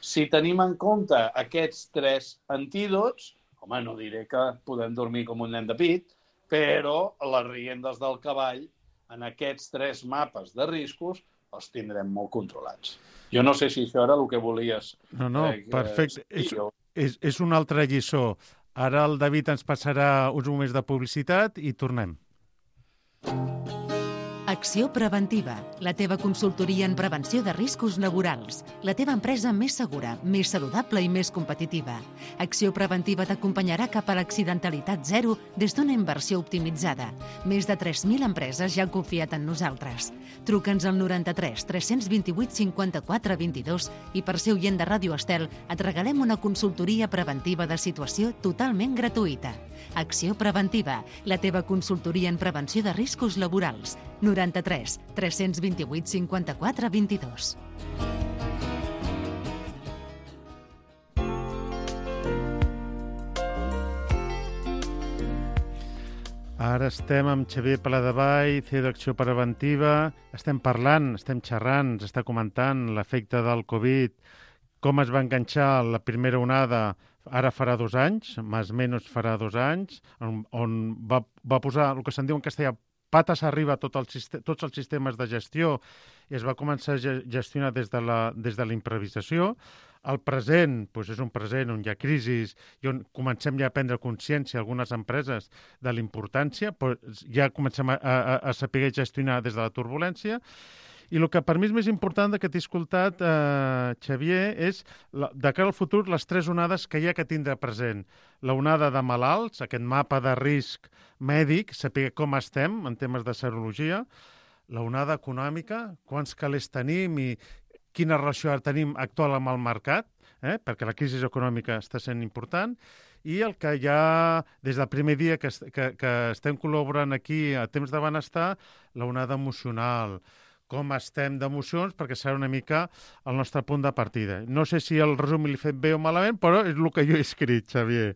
Si tenim en compte aquests tres antídots, home, no diré que podem dormir com un nen de pit, però les riendes del cavall en aquests tres mapes de riscos els tindrem molt controlats. Jo no sé si això era el que volies. No, no, eh, perfecte. Eh, és, és, és una altra lliçó. Ara el David ens passarà uns moments de publicitat i tornem. Acció Preventiva, la teva consultoria en prevenció de riscos laborals. La teva empresa més segura, més saludable i més competitiva. Acció Preventiva t'acompanyarà cap a l'accidentalitat zero des d'una inversió optimitzada. Més de tres mil empreses ja han confiat en nosaltres. Truca'ns al noranta-tres tres cents vint-i-vuit cinquanta-quatre vint-i-dos i per ser oient de Ràdio Estel et regalem una consultoria preventiva de situació totalment gratuïta. Acció Preventiva, la teva consultoria en prevenció de riscos laborals. noranta-tres tres cents vint-i-vuit cinquanta-quatre vint-i-dos. Ara estem amb Xavier Paladevall, C E O d'Acció Preventiva. Estem parlant, estem xerrant, ens està comentant l'efecte del Covid, com es va enganxar la primera onada ara farà dos anys, més o menys farà dos anys, on, on va, va posar el que se'n diu en castellà pates arriba a tot el, tots els sistemes de gestió i es va començar a gestionar des de la, des de la improvisació. El present doncs és un present on hi ha crisis i on comencem ja a prendre consciència algunes empreses de la importància, però ja comencem a, a, a saber gestionar des de la turbulència. I el que per mi és més important que t'he escoltat, eh, Xavier, és la, de cara al futur les tres onades que hi ha que tindre present. La onada de malalts, aquest mapa de risc mèdic, saber com estem en temes de serologia. La onada econòmica, quants calés tenim i quina relació tenim actual amb el mercat, eh, perquè la crisi econòmica està sent important. I el que ja, des del primer dia que, que, que estem col·laborant aquí a Temps de Benestar, la onada emocional, com estem d'emocions, perquè serà una mica el nostre punt de partida. No sé si el resum l'he fet bé o malament, però és el que jo he escrit, Xavier.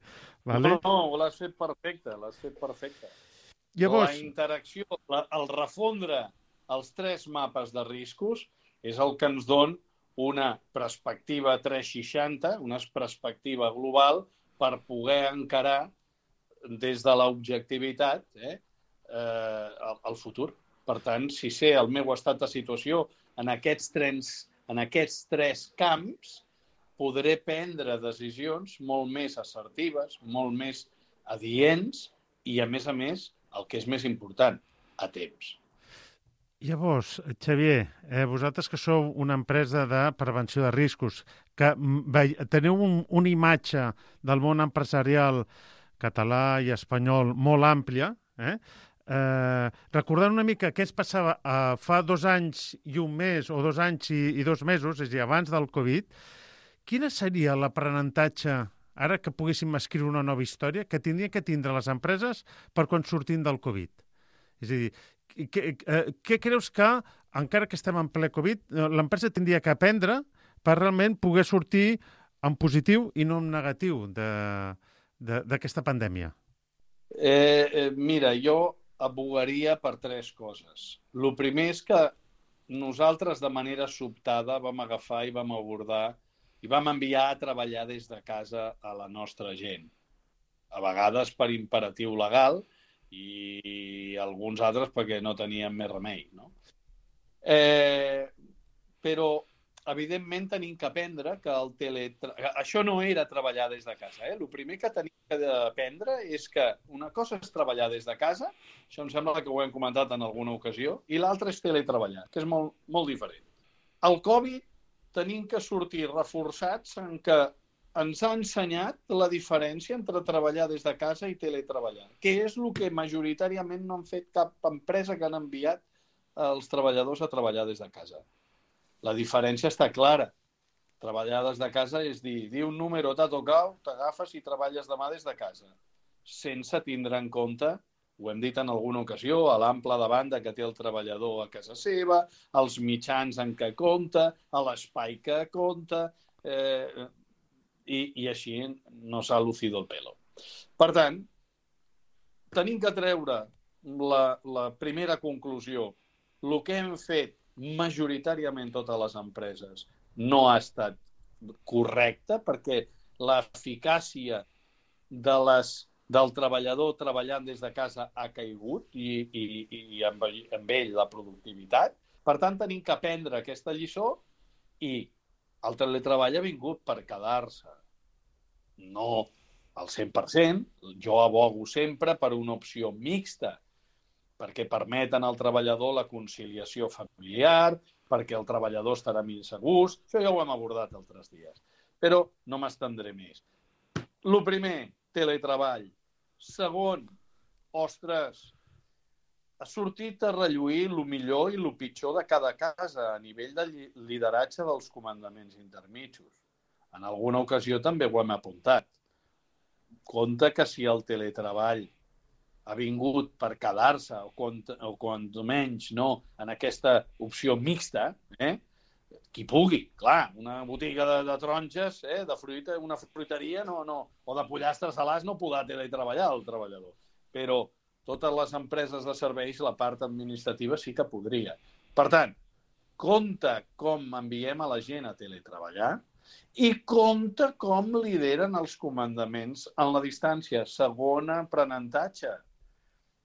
Vale? No, no, l'has fet perfecte, l'has fet perfecte. Llavors... La interacció, la, el refondre els tres mapes de riscos és el que ens dona una perspectiva tres seixanta, una perspectiva global per poder encarar des de l'objectivitat eh, eh, el, el futur. Per tant, si sé el meu estat de situació en aquests, trens, en aquests tres camps, podré prendre decisions molt més assertives, molt més adients i, a més a més, el que és més important, a temps. Llavors, Xavier, eh, vosaltres que sou una empresa de prevenció de riscos, que ve, teniu un, una imatge del món empresarial català i espanyol molt àmplia, eh? Eh, recordant una mica què es passava eh, fa dos anys i un mes, o dos anys i, i dos mesos, és a dir, abans del Covid, quina seria l'aprenentatge, ara que poguéssim escriure una nova història, que tindrien que tindre les empreses per quan sortim del Covid? És a dir, què, eh, què creus que, encara que estem en ple Covid, l'empresa tindria que aprendre per realment poder sortir en positiu i no en negatiu d'aquesta pandèmia? Eh, eh, mira, jo abogaria per tres coses. El primer és que nosaltres de manera sobtada vam agafar i vam abordar i vam enviar a treballar des de casa a la nostra gent. A vegades per imperatiu legal i alguns altres perquè no teníem més remei, no? Eh, però, evidentment, tenim que aprendre que el teletre... Això no era treballar des de casa. Eh? El primer que tenim que aprendre és que una cosa és treballar des de casa, això em sembla que ho hem comentat en alguna ocasió, i l'altra és teletreballar, que és molt, molt diferent. El Covid tenim que sortir reforçats en que ens ha ensenyat la diferència entre treballar des de casa i teletreballar, que és el que majoritàriament no han fet cap empresa que han enviat els treballadors a treballar des de casa. La diferència està clara. Treballar des de casa és dir, di un número, t'ha tocat, t'agafes i treballes demà des de casa, sense tindre en compte, ho hem dit en alguna ocasió, a l'ample de banda que té el treballador a casa seva, els mitjans en què compta, a l'espai que compta, eh, i, i així no s'ha lucido el pelo. Per tant, tenim que treure la, la primera conclusió. El que hem fet majoritàriament totes les empreses no ha estat correcte perquè l'eficàcia de les, del treballador treballant des de casa ha caigut i, i, i amb, amb ell la productivitat. Per tant, tenim que aprendre aquesta lliçó i el teletreball ha vingut per quedar-se. No al cent per cent, jo abogo sempre per una opció mixta, perquè permeten al treballador la conciliació familiar, perquè el treballador estarà més a gust. Això ja ho hem abordat altres dies. Però no m'estendré més. El primer, teletreball. Segon, ostres, ha sortit a relluir el millor i el pitjor de cada casa a nivell de lideratge dels comandaments intermitjos. En alguna ocasió també ho hem apuntat. Compte que si el teletreball ha vingut per quedar-se, o quan, o quan menys no, en aquesta opció mixta, eh? Qui pugui, clar, una botiga de, de taronges, eh? De fruita, una fruiteria, no, no, o de pollastres salats no podrà teletreballar el treballador. Però totes les empreses de serveis, la part administrativa sí que podria. Per tant, compte com enviem a la gent a teletreballar i compte com lideren els comandaments en la distància. Segon aprenentatge.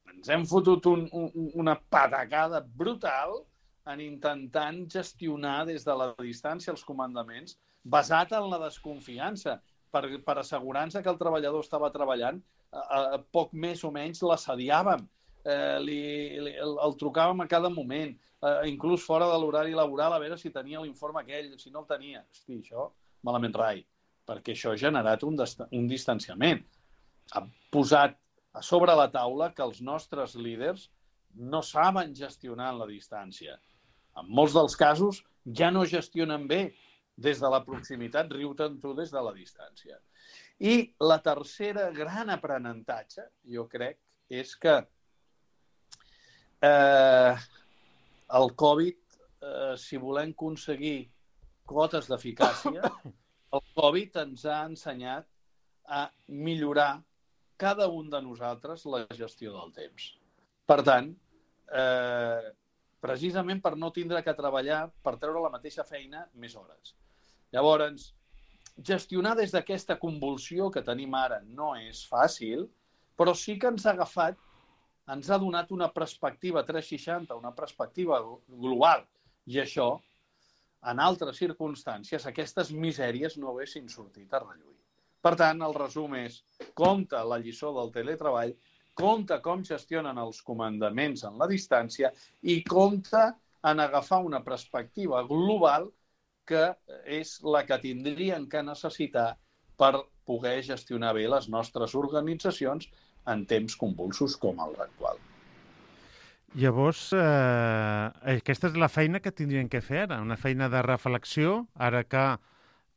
Ens hem fotut un, un, una patacada brutal en intentant gestionar des de la distància els comandaments basat en la desconfiança per, per assegurar-nos que el treballador estava treballant, a, a poc més o menys l'assediàvem, eh, li, li, el, el trucàvem a cada moment, eh, inclús fora de l'horari laboral a veure si tenia l'informe aquell, si no el tenia. Hosti, això malament rai, perquè això ha generat un, un distanciament. Ha posat a sobre la taula que els nostres líders no saben gestionar en la distància. En molts dels casos ja no gestionen bé des de la proximitat, riu-te'n tu des de la distància. I la tercera gran aprenentatge, jo crec, és que eh, el Covid, eh, si volem aconseguir cotes d'eficàcia, el Covid ens ha ensenyat a millorar cada un de nosaltres la gestió del temps. Per tant, eh, precisament per no tindre que treballar per treure la mateixa feina més hores. Llavors, gestionar des d'aquesta convulsió que tenim ara no és fàcil, però sí que ens ha agafat, ens ha donat una perspectiva tres seixanta, una perspectiva global, i això, en altres circumstàncies, aquestes misèries no haguessin sortit a relluir. Per tant, el resum és, compte la lliçó del teletreball, compte com gestionen els comandaments en la distància i compte en agafar una perspectiva global que és la que tindrien que necessitar per poder gestionar bé les nostres organitzacions en temps convulsos com el actual. Llavors, eh, aquesta és la feina que tindrien que fer ara, una feina de reflexió, ara que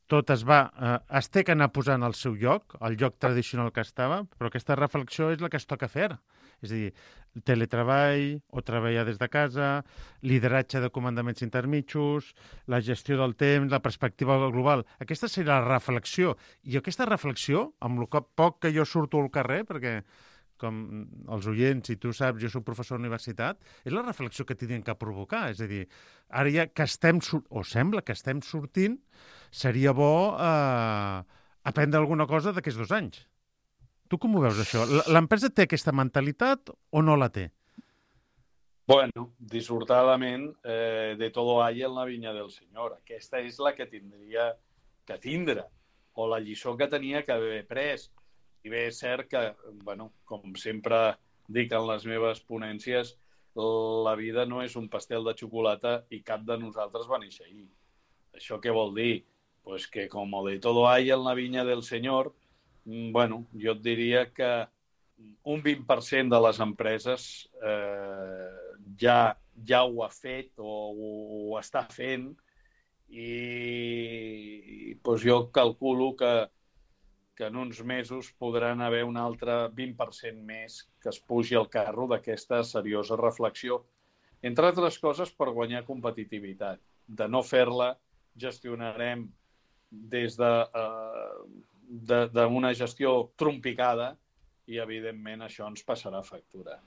tot es va, eh, es té que anar posant al seu lloc, al lloc tradicional que estava, però aquesta reflexió és la que es toca fer ara. És a dir, teletreball o treballar des de casa, lideratge de comandaments intermitjos, la gestió del temps, la perspectiva global. Aquesta serà la reflexió. I aquesta reflexió, amb el poc que jo surto al carrer, perquè com els oients, i tu saps, jo soc professor de universitat, és la reflexió que tindrien que provocar. És a dir, ara ja que estem, o sembla que estem sortint, seria bo eh, aprendre alguna cosa d'aquests dos anys. Tu com ho veus, això? L'empresa té aquesta mentalitat o no la té? Bueno, dissortadament, eh, de todo hay en la vinya del Senyor. Aquesta és la que tindria que tindre, o la lliçó que tenia que haver pres. I bé, és cert que, bueno, com sempre dic en les meves ponències, la vida no és un pastel de xocolata i cap de nosaltres va néixer ahir. Això què vol dir? Pues que com de todo hay en la vinya del Senyor, bueno, jo et diria que un vint per cent de les empreses eh, ja, ja ho ha fet o ho està fent i pues jo calculo que que en uns mesos podran haver un altre vint per cent més que es pugi al carro d'aquesta seriosa reflexió. Entre altres coses, per guanyar competitivitat. De no fer-la, gestionarem des d'una de, uh, gestió trompicada i, evidentment, això ens passarà factura.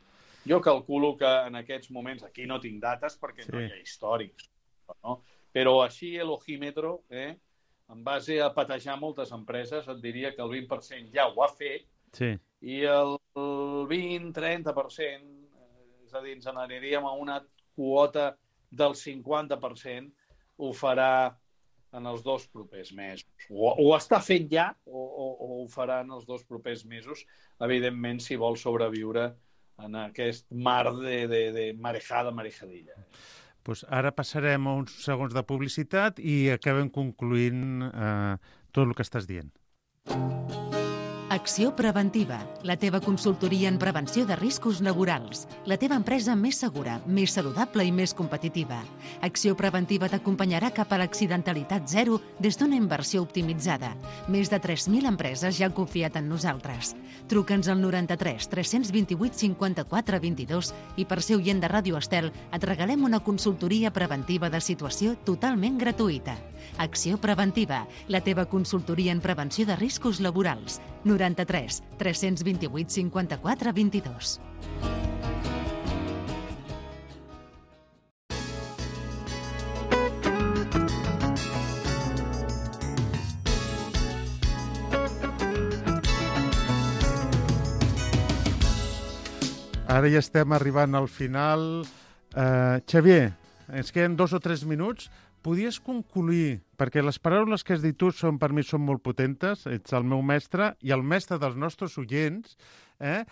Jo calculo que en aquests moments, aquí no tinc dates perquè sí. No hi ha històrics, no? Però així l'ojímetro, eh, en base a patejar moltes empreses, et diria que el vint per cent ja ho ha fet sí. I el vint a trenta per cent, és a dir, ens n'aniríem a una quota del cinquanta per cent, ho farà en els dos propers mesos. O, o està fent ja o, o, o ho farà en els dos propers mesos, evidentment, si vol sobreviure en aquest mar de, de, de marejada, marejadilla. Pues ara passarem a uns segons de publicitat i acabem concluint eh, tot el que estàs dient. Acció Preventiva, la teva consultoria en prevenció de riscos laborals. La teva empresa més segura, més saludable i més competitiva. Acció Preventiva t'acompanyarà cap a l'accidentalitat zero des d'una inversió optimitzada. Més de tres mil empreses ja han confiat en nosaltres. Truca'ns al noranta-tres tres vint vuit cinquanta-quatre vint-i-dos i per ser oient de Ràdio Estel et regalem una consultoria preventiva de situació totalment gratuïta. Acció Preventiva, la teva consultoria en prevenció de riscos laborals. noranta-tres tres vint vuit cinquanta-quatre vint-i-dos. Ara ja estem arribant al final. Uh, Xavier, ens queden dos o tres minuts. Podies concluir, perquè les paraules que has dit tu són, per mi són molt potentes, ets el meu mestre i el mestre dels nostres oients, eh?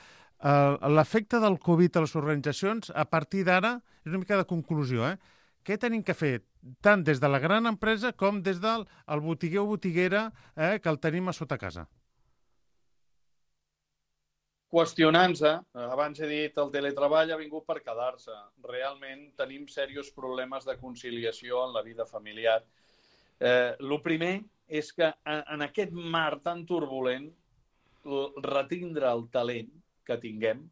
L'efecte del Covid a les organitzacions, a partir d'ara, és una mica de conclusió, eh? Què tenim que fer, tant des de la gran empresa com des del botiguer o botiguera eh, que el tenim a sota casa? Qüestionant-se, abans he dit, el teletreball ha vingut per quedar-se. Realment tenim serios problemes de conciliació en la vida familiar. Eh, el primer és que en aquest mar tan turbulent, retindre el talent que tinguem,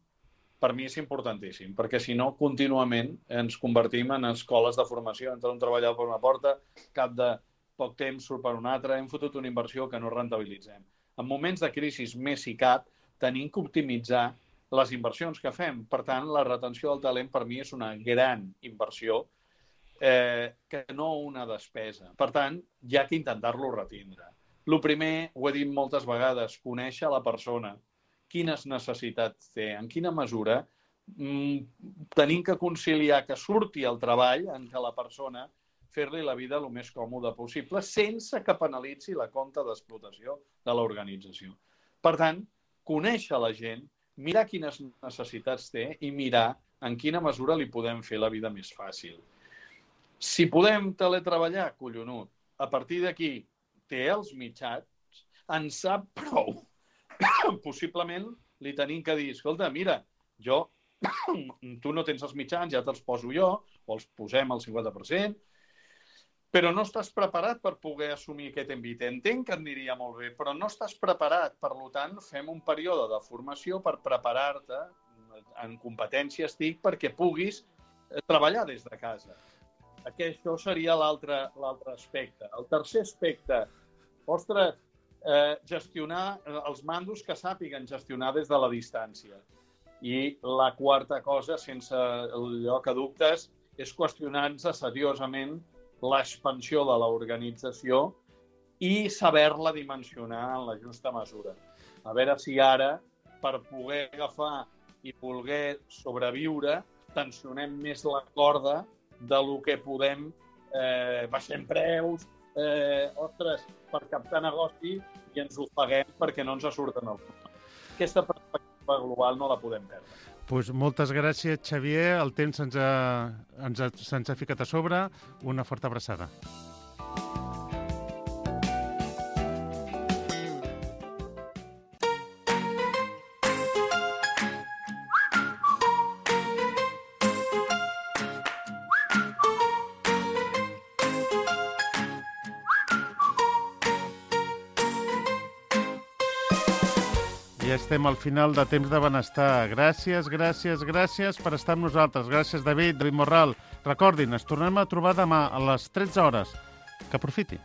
per mi és importantíssim, perquè si no, contínuament ens convertim en escoles de formació. Entra un treballador per una porta, cap de poc temps surt per una altra, hem fotut una inversió que no rentabilitzem. En moments de crisi més i cap, tenim que optimitzar les inversions que fem. Per tant, la retenció del talent per mi és una gran inversió eh, que no una despesa. Per tant, hi ha que intentar-lo retindre. El primer, ho he dit moltes vegades, conèixer la persona, quines necessitats té, en quina mesura mm, tenim que conciliar que surti el treball en què la persona fer-li la vida el més còmoda possible sense que penalitzi la compta d'explotació de l'organització. Per tant, conèixer la gent, mirar quines necessitats té i mirar en quina mesura li podem fer la vida més fàcil. Si podem teletreballar, collonut. A partir d'aquí, té els mitjans, en sap prou. Possiblement li tenim que dir, escolta, mira, jo, tu no tens els mitjans, ja te'ls poso jo, o els posem al cinquanta per cent, però no estàs preparat per poder assumir aquest envit. Entenc que et aniria molt bé, però no estàs preparat. Per tant, fem un període de formació per preparar-te en competències T I C perquè puguis treballar des de casa. Això seria l'altre l'altre aspecte. El tercer aspecte, ostres, eh, gestionar els mandos que sàpiguen gestionar des de la distància. I la quarta cosa, sense lloc a dubtes, és qüestionar-nos seriosament l'expansió de l'organització i saber-la dimensionar en la justa mesura. A veure si ara, per poder agafar i voler sobreviure, tensionem més la corda de lo que podem, eh, baixem preus, eh, ostres, per captar negoci i ens ho paguem perquè no ens surten els números. Aquesta perspectiva global no la podem perdre. Pues moltes gràcies, Xavier. El temps se'ns ha, ens ha, se'ns ha ficat a sobre. Una forta abraçada. Ja estem al final de Temps de Benestar. Gràcies, gràcies, gràcies per estar amb nosaltres. Gràcies, David, David Morral. Recordin, ens tornem a trobar demà a les tretze hores. Que aprofiti.